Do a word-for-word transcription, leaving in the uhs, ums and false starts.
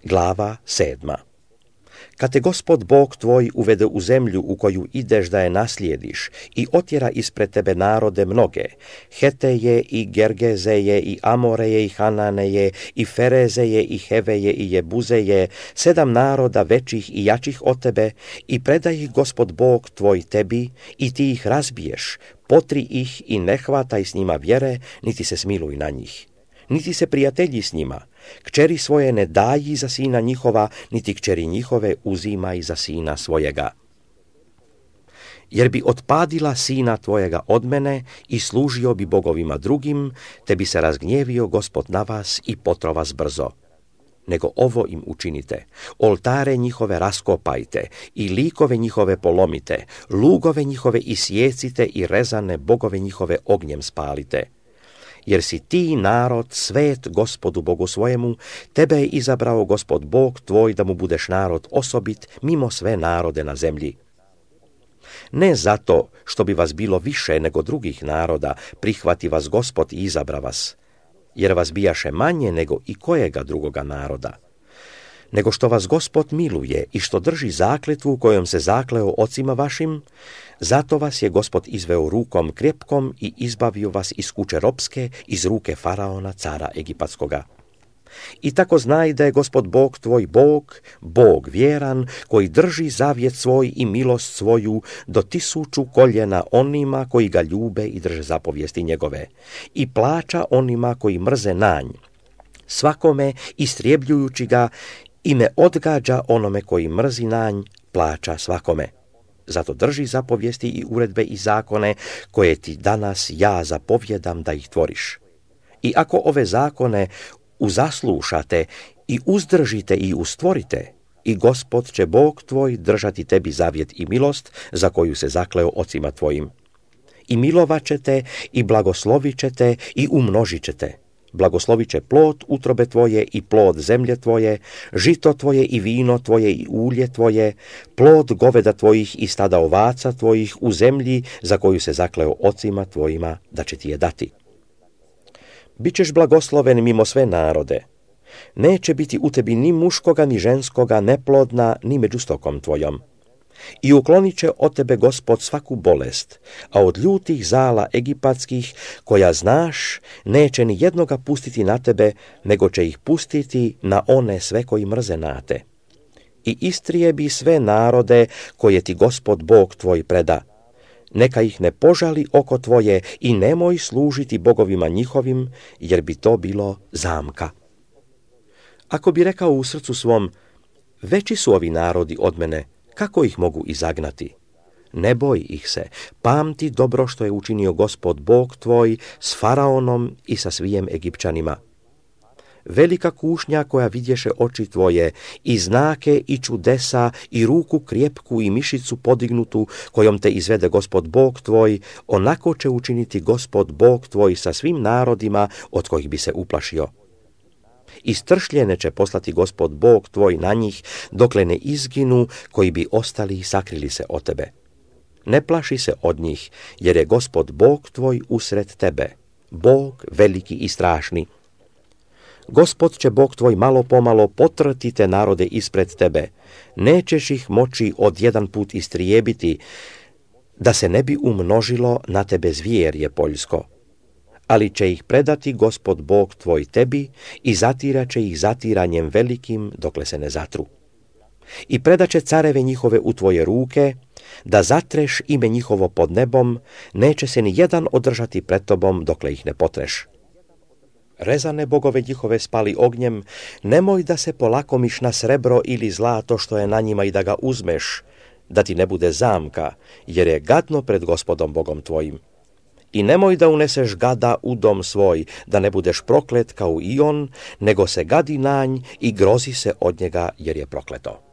Glava sedma. Kad te Gospod Bog tvoj uvede u zemlju u koju ideš da je naslijediš i otjera ispred tebe narode mnoge, Heteje i Gergezeje i Amoreje i Hananeje i Ferezeje i Heveje i Jebuzeje, sedam naroda većih i jačih od tebe, i predaj ih Gospod Bog tvoj tebi i ti ih razbiješ, potri ih i ne hvataj s njima vjere, niti se smiluj na njih. Niti se prijatelji s njima, kćeri svoje ne daji za sina njihova, niti kćeri njihove uzimaj za sina svojega. Jer bi otpadila sina tvojega od mene i služio bi bogovima drugim, te bi se razgnjevio Gospod na vas i potro vas brzo. Nego ovo im učinite, oltare njihove raskopajte i likove njihove polomite, lugove njihove isjecite i rezane bogove njihove ognjem spalite. Jer si ti narod svet Gospodu Bogu svojemu, tebe je izabrao Gospod Bog tvoj da mu budeš narod osobit mimo sve narode na zemlji. Ne zato što bi vas bilo više nego drugih naroda, prihvati vas Gospod i izabra vas, jer vas bijaše manje nego i kojega drugoga naroda, nego što vas Gospod miluje i što drži zakletvu kojom se zakleo ocima vašim, zato vas je Gospod izveo rukom krepkom i izbavio vas iz kuće ropske, iz ruke faraona, cara egipatskoga. I tako znaj da je Gospod Bog tvoj Bog, Bog vjeran, koji drži zavjet svoj i milost svoju do tisuću koljena onima koji ga ljube i drže zapovijesti njegove, i plaća onima koji mrze nanj, svakome istrebljujući ga, i ne odgađa onome koji mrzi nanj, plaća svakome. Zato drži zapovijesti i uredbe i zakone koje ti danas ja zapovjedam da ih tvoriš. I ako ove zakone uzaslušate i uzdržite i ustvorite, i Gospod će Bog tvoj držati tebi zavjet i milost za koju se zakleo ocima tvojim. I milovat ćete i blagoslovit ćete i umnožit ćete. Blagoslovit će plod utrobe tvoje i plod zemlje tvoje, žito tvoje i vino tvoje i ulje tvoje, plod goveda tvojih i stada ovaca tvojih u zemlji za koju se zakleo ocima tvojima da će ti je dati. Bićeš blagosloven mimo sve narode. Neće biti u tebi ni muškoga ni ženskoga neplodna ni među stokom tvojom. I uklonit će od tebe Gospod svaku bolest, a od ljutih zala egipatskih, koja znaš, neće ni jednoga pustiti na tebe, nego će ih pustiti na one sve koji mrze na te. I istrijebi sve narode koje ti Gospod Bog tvoj preda. Neka ih ne požali oko tvoje i nemoj služiti bogovima njihovim, jer bi to bilo zamka. Ako bi rekao u srcu svom, veći su ovi narodi od mene, kako ih mogu izagnati? Ne boj ih se, pamti dobro što je učinio Gospod Bog tvoj s faraonom i sa svijem Egipćanima. Velika kušnja koja vidješe oči tvoje, i znake i čudesa, i ruku krjepku i mišicu podignutu, kojom te izvede Gospod Bog tvoj, onako će učiniti Gospod Bog tvoj sa svim narodima od kojih bi se uplašio. I stršljene će poslati Gospod Bog tvoj na njih, dokle ne izginu, koji bi ostali i sakrili se od tebe. Ne plaši se od njih, jer je Gospod Bog tvoj usred tebe, Bog veliki i strašni. Gospod će Bog tvoj malo pomalo potrti te narode ispred tebe, nećeš ih moći od jedan put istrijebiti, da se ne bi umnožilo na tebe zvjerje poljsko. Ali će ih predati Gospod Bog tvoj tebi i zatirat će ih zatiranjem velikim dokle se ne zatru. I predat će careve njihove u tvoje ruke, da zatreš ime njihovo pod nebom, neće se ni jedan održati pred tobom dokle ih ne potreš. Rezane bogove njihove spali ognjem, nemoj da se polakomiš na srebro ili zlato što je na njima i da ga uzmeš, da ti ne bude zamka, jer je gadno pred Gospodom Bogom tvojim. I nemoj da uneseš gada u dom svoj, da ne budeš proklet kao i on, nego se gadi nanj i grozi se od njega jer je prokleto.